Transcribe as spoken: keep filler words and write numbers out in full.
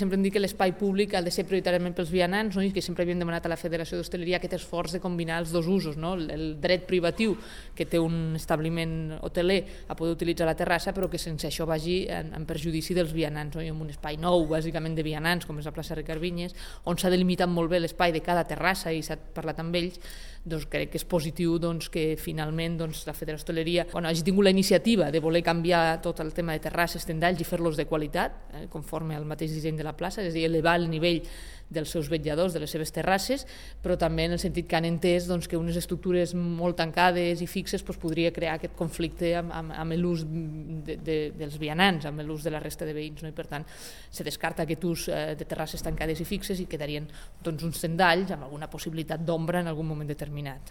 Sempre hem dit que l'espai públic ha de ser prioritàriament pels vianants, no? I que sempre havíem demanat a la Federació d'Hostaleria aquest esforç de combinar els dos usos, no? El, el dret privatiu que té un establiment hoteler a poder utilitzar la terrassa, però que sense això vagi en, en perjudici dels vianants, no? I en un espai nou, bàsicament de vianants, com és la plaça Ricard Vinyes, on s'ha delimitat molt bé l'espai de cada terrassa i s'ha parlat amb ells, doncs crec que és positiu doncs, que finalment doncs, la Federació d'Hostaleria bueno, hagi tingut la iniciativa de voler canviar tot el tema de terrasses, tendalls i fer-los de qualitat, eh, conforme al mateix disseny de la plaça, és a dir, elevar el nivell dels seus vetlladors, de les seves terrasses, però també en el sentit que han entès doncs, que unes estructures molt tancades i fixes doncs, podria crear aquest conflicte amb, amb, amb l'ús de, de, dels vianants, amb l'ús de la resta de veïns, no? I per tant se descarta aquest ús eh, de terrasses tancades i fixes i quedarien doncs, uns tendalls amb alguna possibilitat d'ombra en algun moment determinat.